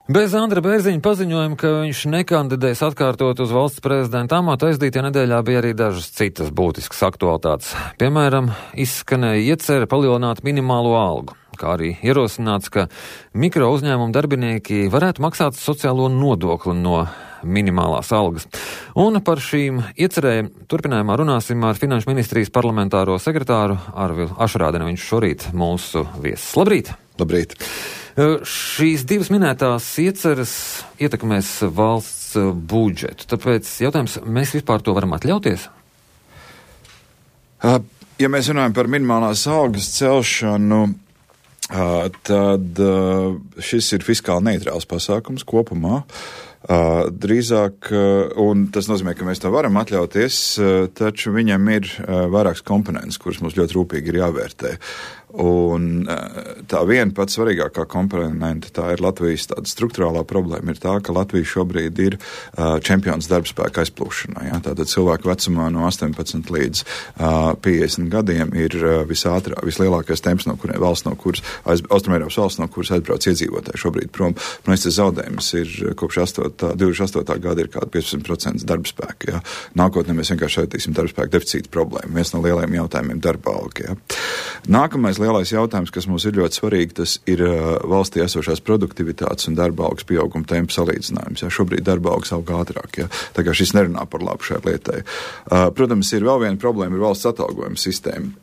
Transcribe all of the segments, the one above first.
Bez Andra Bērziņa paziņojuma, ka viņš nekandidēs atkārtot uz valsts prezidenta amatu, aizdītajā nedēļā bija arī dažas citas būtiskas aktualitātes. Piemēram, izskanēja iecerē palielināt minimālo algu, kā arī ierosināts, ka mikro uzņēmumu darbinieki varētu maksāt sociālo nodokli no minimālās algas. Un par šīm iecerēm turpinājumā runāsim ar Finanšu ministrijas parlamentāro sekretāru Arvilu Ašrādeni. Viņš šorīt mūsu viesis. Labrīt! Labrīt! Šīs divas minētās ieceres ietekmēs valsts budžetu. Tāpēc jautājums, mēs vispār to varam atļauties? Ja mēs runājam par minimālās algas celšanu, tad šis ir fiskāli neitrāls pasākums kopumā. Drīzāk, un tas nozīmē, ka mēs to varam atļauties, taču viņam ir vairākas komponentes, kuras mums ļoti rūpīgi ir jāvērtē. Un tā viena pats svarīgākā komponente, tā ir Latvijas tāda struktūrālā problēma, ir tā, ka Latvija šobrīd ir čempions darbspēka aizplūšanā. Ja? Tātad cilvēku vecumā no 18 līdz 50 gadiem ir vislielākais temps, valsts, no kuras, Austrumēropas valsts, no kuras aizbrauc iedzīvotāji šobrīd prom. Man tas zaudējums ir kopš 28. gada ir kāda 15% darbspēka. Ja? Nākotnē mēs vienkārši aiztīsim darbspēka deficīta problēmu. Viens no lielajiem jautājumiem darba alga. Ja? Nākamais lielais jautājums, kas mums ir ļoti svarīgi, tas ir valstī esošās produktivitātes un darba algas pieauguma tempa salīdzinājums. Ja? Šobrīd darba algas aug ātrāk. Ja? Tā kā šis nerunā par labu šai lietai. Protams, ir vēl viena problēma, ir valsts atalgojuma sistēma.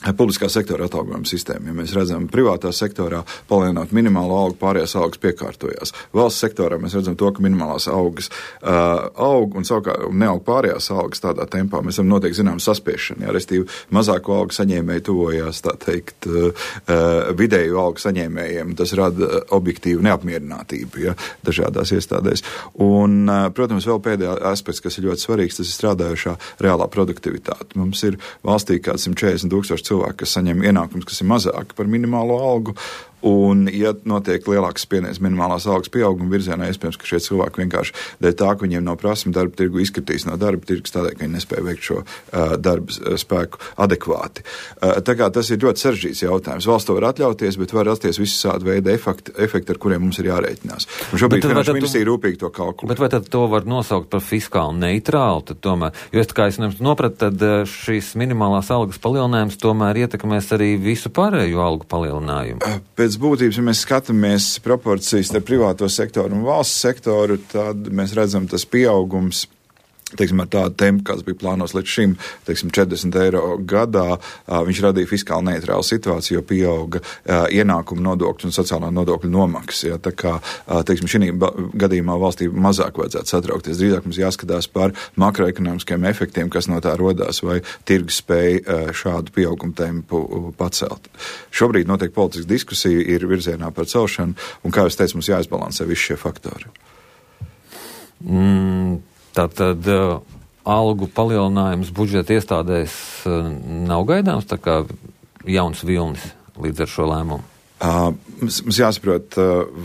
Publiskā sektora atalgojuma sistēma. Ja mēs redzam, privātā sektorā palielināt minimālo algu, pārējās algas piekārtojās. Valsts sektorā mēs redzam to, ka minimālās algas aug un savukārt neaug pārējās algas tādā tempā. Mēs varam noteikti zinām saspiešanu. Ja, restīvi, mazāko algu saņēmēji tuvojās, tā teikt, vidēju algu saņēmējiem. Tas rada objektīvu neapmierinātību, ja, dažādās iestādēs. Un, protams, vēl pēdējā aspekts, kas ir ļoti svarīgs, tas ir strādājušā reālā produktivitāte. Mums ir valstī kāds 140,000 cilvēki, kas saņem ienākums, kas ir mazāki par minimālo algu, un, ja notiek lielāks spiediens minimālās algas pieauguma virzienā, iespējams, ka šie cilvēki vienkārši dēļ tā, ka viņiem nav prasme darba tirgu, izkritīs no darba tirgus tādēļ, ka viņi nespēja veikt šo darba spēku adekvāti. Tā kā tas ir ļoti sarežģīts jautājums. Valsts to var atļauties, bet var rasties visādi veidi efekti, ar kuriem mums ir jārēķinās. Un šobrīd Finanšu ministrija rūpīgi to kalkulē. Bet vai tad to var nosaukt par fiskāli neitrālu? Tad tomēr, jo kā es nopratu, tad šīs minimālās algas palielinājums tomēr ietekmēs arī visu pārējo algu palielinājumu. Pēc būtības, ja mēs skatāmies proporcijas ar privāto sektoru un valsts sektoru, tad mēs redzam tas pieaugums, teiksim, ar tādu tempu, kāds bija plānos līdz šim, teiksim, 40 eiro gadā, viņš radīja fiskāli neitrālu situāciju, jo pieauga ienākumu nodokļu un sociālā nodokļu nomaksas. Ja, tā kā, teiksim, šī gadījumā valstī mazāk vajadzētu satraukties. Drīzāk mums jāskatās par makroekonomiskiem efektiem, kas no tā rodās, vai tirgus spēja šādu pieaugumu tempu pacelt. Šobrīd notiek politiska diskusija, ir virzienā par celšanu, un, kā es teicu, mums jāizbalansē visi šie faktori. Tātad algu palielinājums budžeta iestādēs nav gaidāms, tā kā jauns vilnis līdz ar šo lēmumu? Mums jāsaprot,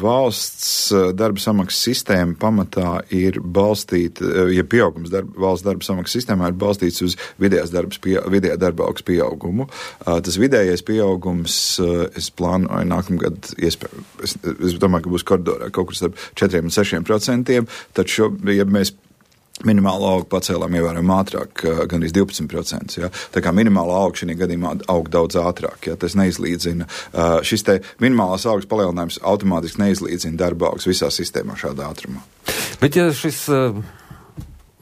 valsts darba samaksas sistēma pamatā ir balstīta, ja pieaugums valsts darba samaksas sistēmā ir balstīts uz vidējā darba algas pieaugumu. Tas vidējais pieaugums, es plānoju nākamgad, es domāju, ka būs koridorā kaut kur starp 4 un 6%, taču, ja mēs minimālo algu pacēlām ievērojami ātrāk, gan arī 12%. Ja? Tā kā minimāla alga šī gadījumā aug daudz ātrāk. Ja? Tas neizlīdzina. Šis te minimālās algas palielinājums automātiski neizlīdzina darba algas visā sistēmā šādā ātrumā. Bet ja šis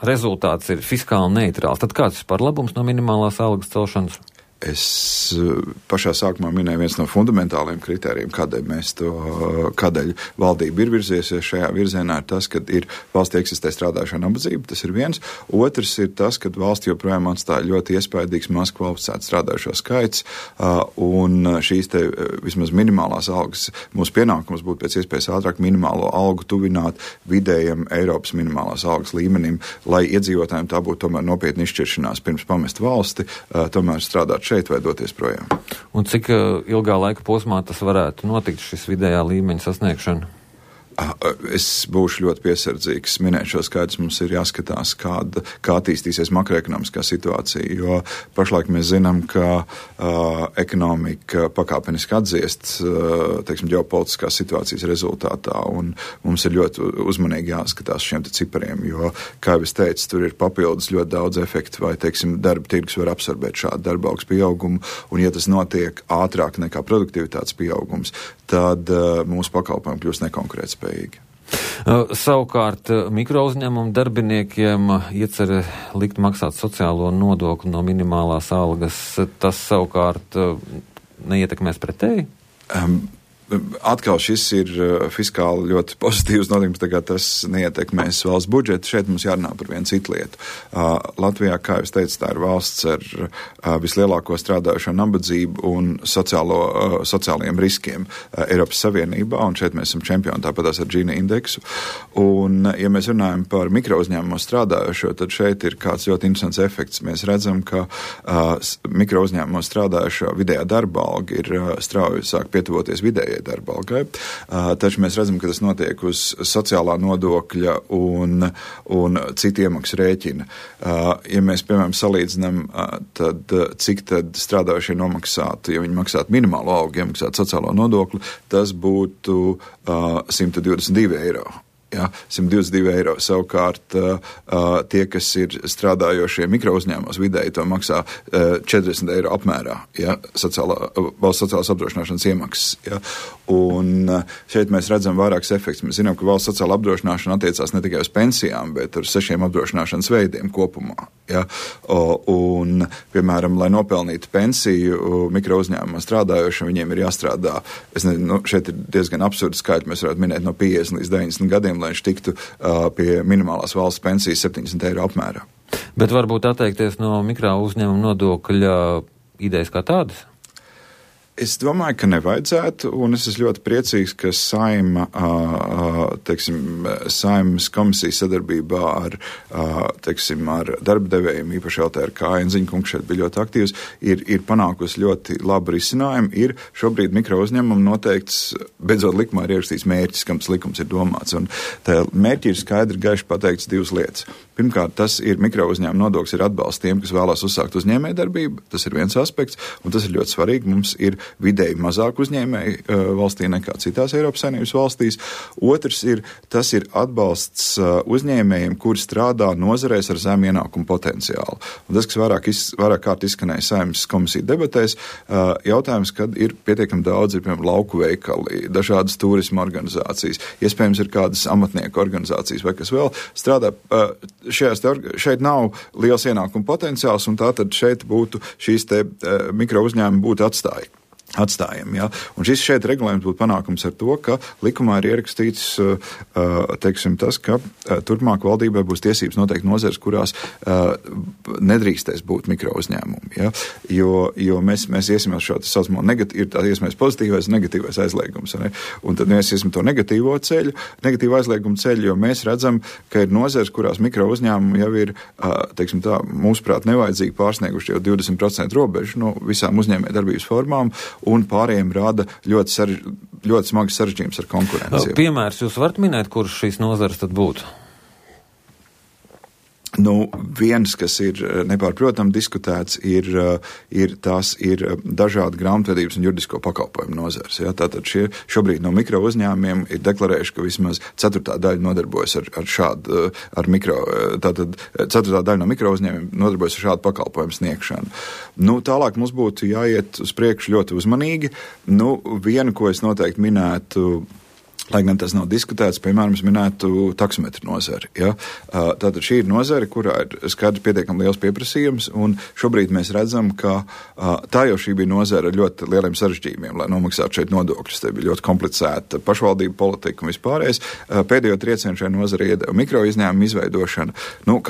rezultāts ir fiskāli neitrāls, tad kāds ir par labums no minimālās algas celšanas? Es pašā sākumā minēju viens no fundamentāliem kritērijiem, kādēļ valdība ir virziesies šajā virzienā, ir tas, ka ir valstī eksistē strādājušā nabadzība, tas ir viens. Otrs ir tas, ka valsts joprojām atstāja ļoti iespaidīgs maz kvalificētu strādājušo skaits, un šīs te vismaz minimālās algas, mūsu pienākums būtu pēc iespējas ātrāk minimālo algu tuvināt vidējam Eiropas minimālās algas līmenim, lai iedzīvotājiem tā būtu tomēr nopietni izšķiršanās pirms pamest valsti, tomēr strādāt šeit vai doties projām. Un cik ilgā laika posmā tas varētu notikt, šis vidējā līmeņa sasniegšana? Es būšu ļoti piesardzīgs minēt šo skaidrs. Mums ir jāskatās, kā attīstīsies makroekonomiskā situācija, jo pašlaik mēs zinām, ka ekonomika pakāpeniski atdziest, teiksim, ģeopolitiskās situācijas rezultātā, un mums ir ļoti uzmanīgi jāskatās šiem cipariem, jo, kā jau es teicu, tur ir papildus ļoti daudz efektu, vai, teiksim, darba tirgus var absorbēt šādu darba augs pieaugumu, un ja tas notiek ātrāk nekā produktivitātes pieaugums, tad mūsu pakalpojumi kļūst nekonkurētspējīgi. Savukārt mikrouzņēmumu darbiniekiem iecer likt maksāt sociālo nodokli no minimālās algas. Tas savukārt neietekmēs pretēji? Atkal šis ir fiskāli ļoti pozitīvs notikums, tā kā tas neietekmēs valsts budžetu. Šeit mums jārunā par vienu citu lietu. Latvijā, kā jūs teicat, tā ir valsts ar vislielāko strādājošo nabadzību un sociālajiem riskiem Eiropas Savienībā, un šeit mēs esam čempioni, tāpatās ar Gini indeksu. Un, ja mēs runājam par mikrouzņēmumu strādājošo, tad šeit ir kāds ļoti interesants efekts. Mēs redzam, ka mikrouzņēmumu strādājošo vidējā darba alga ir strauji sāk pietuvoties vidējai darba algai, taču mēs redzam, ka tas notiek uz sociālā nodokļa un citu iemaksu rēķina. Ja mēs, piemēram, salīdzinām, tad cik tad strādājošie nomaksātu, ja viņi maksātu minimālo algu, iemaksātu sociālo nodokli, tas būtu 122 eiro. Ja, 122 eiro. Savukārt tie, kas ir strādājošie mikrouzņēmumos, vidēji to maksā 40 eiro apmērā, ja, valsts sociālās apdrošināšanas iemaksas. Ja. Un šeit mēs redzam vairākus efektus. Mēs zinām, ka valsts sociāla apdrošināšana attiecās ne tikai uz pensijām, bet uz 6 apdrošināšanas veidiem kopumā. Ja. Un, piemēram, lai nopelnītu pensiju mikrouzņēmumā strādājošiem, viņiem ir jāstrādā, šeit ir diezgan absurdi skaitļi, mēs varētu minēt no 50 līdz 90 gadiem, lai viņš tiktu pie minimālās valsts pensijas 70 eiro apmērā. Bet varbūt atteikties no mikrouzņēmuma nodokļa idejas kā tādas? Es domāju, ka nevajadzētu, un es esmu ļoti priecīgs, ka Saeimas komisija sadarbībā ar darba devējiem, īpaši LTRK, Enziņa kungs šeit bija ļoti aktīvs, ir panākusi ļoti labu risinājumu. Ir šobrīd mikrouzņēmumu noteikts, beidzot likumā ir ierakstīts mērķis, kam tas likums ir domāts, un tā mērķi ir skaidri gaiši pateikts divas lietas. Pirmkārt, tas ir mikrouzņēmuma nodoklis ir atbalsts tiem, kas vēlās uzsākt uzņēmējdarbību, tas ir viens aspekts, un tas ir ļoti svarīgi. Mums ir vidēji mazāk uzņēmēji valstī nekā citās Eiropas Savienības valstīs. Otrs tas ir atbalsts uzņēmējiem, kuri strādā nozarēs ar zemu ienākumu potenciālu. Un tas, kas vairāk kārt izskanēja Saeimas komisiju debatēs, jautājums, kad ir pietiekami daudz, piemēram, lauku veikali, dažādas turisma organizācijas, iespējams ir kādas amatnieku organizācijas vai kas vēl strādā. Šeit nav liels ienākuma potenciāls, un tātad šeit būtu šīs te mikrouzņēmumi būtu atstājami. Ja? Un šis šeit regulējums būtu panākums ar to, ka likumā ir ierakstīts, tas, ka turpmāk valdībai būs tiesības noteikt nozares, kurās nedrīkstēs būt mikrouzņēmumi. Ja? Jo mēs iesim uz šo saucamo ir tā iespējams pozitīvais un negatīvais aizliegums. Ne? Un tad mēs iesim to negatīvo aizliegumu ceļu, jo mēs redzam, ka ir nozares, kurās mikrouzņēmumi jau ir, mūsuprāt, nevajadzīgi pārsnieguši jau 20% robežu no visām uzņēmējdarbības formām, un pārējiem rada ļoti smagas sarežģījums ar konkurenci. Piemērs jūs varat minēt, kurš šīs nozares tad būtu? Viens, kas ir nepārprotami diskutēts, ir dažādi grāmatvedības un juridisko pakalpojumu nozares. Ja? Tātad šobrīd no mikro uzņēmumiem ir deklarējuši, ka vismaz 4. daļa nodarbojas tātad 4. daļa no mikro uzņēmumiem nodarbojas ar šādu pakalpojumu sniegšanu. Tālāk mums būtu jāiet uz priekšu ļoti uzmanīgi. Vienu, ko es noteikti minētu, lai gan tas nav diskutēts, piemēram, es minētu taksometru nozari. Ja? Tātad šī ir nozare, kurā ir skaidrs pietiekami liels pieprasījums, un šobrīd mēs redzam, ka tā jau šī bija nozare ar ļoti lieliem sarežģījumiem, lai nomaksātu šeit nodokļus. Te bija ļoti komplicēta pašvaldību politika un vispārējais. Pēdējo triecienu šai nozare iedeva mikroizņēmumu izveidošana.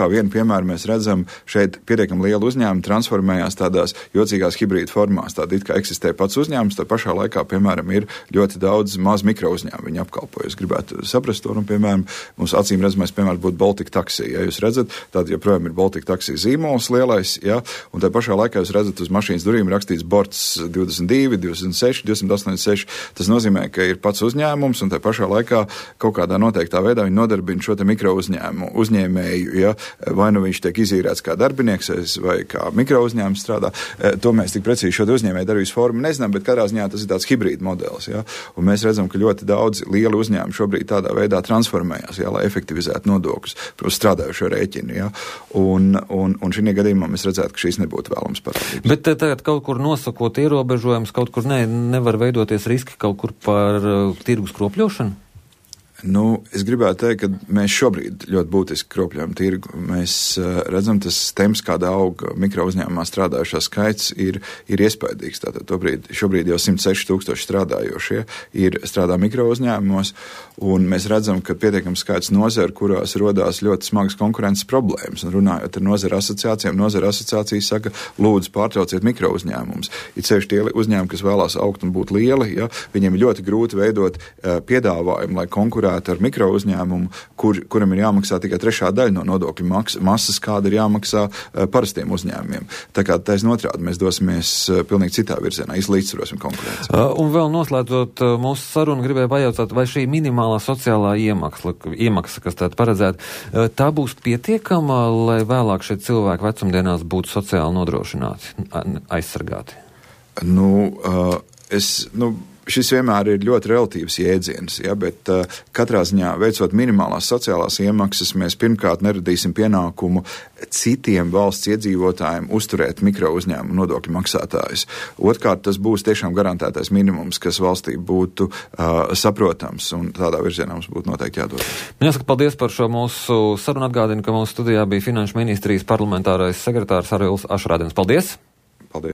Kā vienu piemēru mēs redzam, šeit pietiekami liela uzņēmuma transformējās tādās jocīgās hibrīda formās. Tāda it kā eksistē pats uzņēmums, tā pašā laikā, piemēram, ir ļoti daudz maz mikrouzņēmumu. Viņi apkalpo. Es gribētu saprast to, piemēram, mums acīm redzamais piemērs būtu Baltic Taxi. Ja jūs redzat, tad joprojām ir Baltic Taxi zīmols lielais, ja, un tā pašā laikā jūs redzat uz mašīnas durvīm rakstīts borts 22, 206, 286. Tas nozīmē, ka ir pats uzņēmums, un tā pašā laikā kaut kādā noteiktā veidā viņi nodarbina šo te mikro uzņēmēju, ja, vai nu viņš tiek izīrēts kā darbinieks vai kā mikro uzņēmums strādā. To mēs tik precīzi šo uzņēmēju darbības formu nezinām, bet katrā ziņā tas ir tāds hibrīd modelis. Ja? Un mēs redzam, ka ļoti daudz lieli uzņēmumi šobrīd tādā veidā transformējās, ja, lai efektivizētu nodokļus uz strādājušo rēķinu. Ja? Un šī gadījumā mēs redzētu, ka šīs nebūtu vēlams parādības. Bet tagad kaut kur nosakot ierobežojumus, kaut kur nevar veidoties riski kaut kur par tirgus kropļošanu? Nu, es gribētu teikt, ka mēs šobrīd ļoti būtiski kropļojam tirgu. Mēs redzam, tas temps, kāda aug mikro uzņēmumā strādājušā skaits, ir iespaidīgs. Tātad šobrīd jau 106,000 strādājošie strādā mikro uzņēmumos, un mēs redzam, ka pietiekams skaits nozaru, kurās rodās ļoti smagas konkurences problēmas. Un runājot ar nozaru asociācijas saka, lūdzu pārtrauciet mikro uzņēmumus. Ir sevišķi tie uzņēmumi, kas vēlās augt un būt lieli, ja, viņiem ir ļoti grūti veidot piedāvājumu, lai konkurētu ar mikro uzņēmumu, kuram ir jāmaksā tikai trešā daļa no nodokļu masas, kāda ir jāmaksā parastiem uzņēmumiem. Tā kā taisn otrādi mēs dosimies pilnīgi citā virzienā, izlīdzsvarosim konkurenci. Un vēl noslēdzot mūsu sarunu, gribēju pajautāt, vai šī minimālā sociālā iemaksa, kas tāda paredzēta, tā būs pietiekama, lai vēlāk šie cilvēki vecumdienās būtu sociāli nodrošināti, aizsargāti? Šis vienmēr ir ļoti relatīvs jēdziens, ja, bet katrā ziņā veicot minimālās sociālās iemaksas, mēs pirmkārt neradīsim pienākumu citiem valsts iedzīvotājiem uzturēt mikro uzņēmumu nodokļu maksātājus. Otrkārt, tas būs tiešām garantētais minimums, kas valstī būtu saprotams, un tādā virzienā mums būtu noteikti jādodas. Man jāsaka paldies par šo mūsu sarunu. Atgādinu, ka mūsu studijā bija Finanšu ministrijas parlamentārais sekretārs Arvils Ašrādens. Paldies!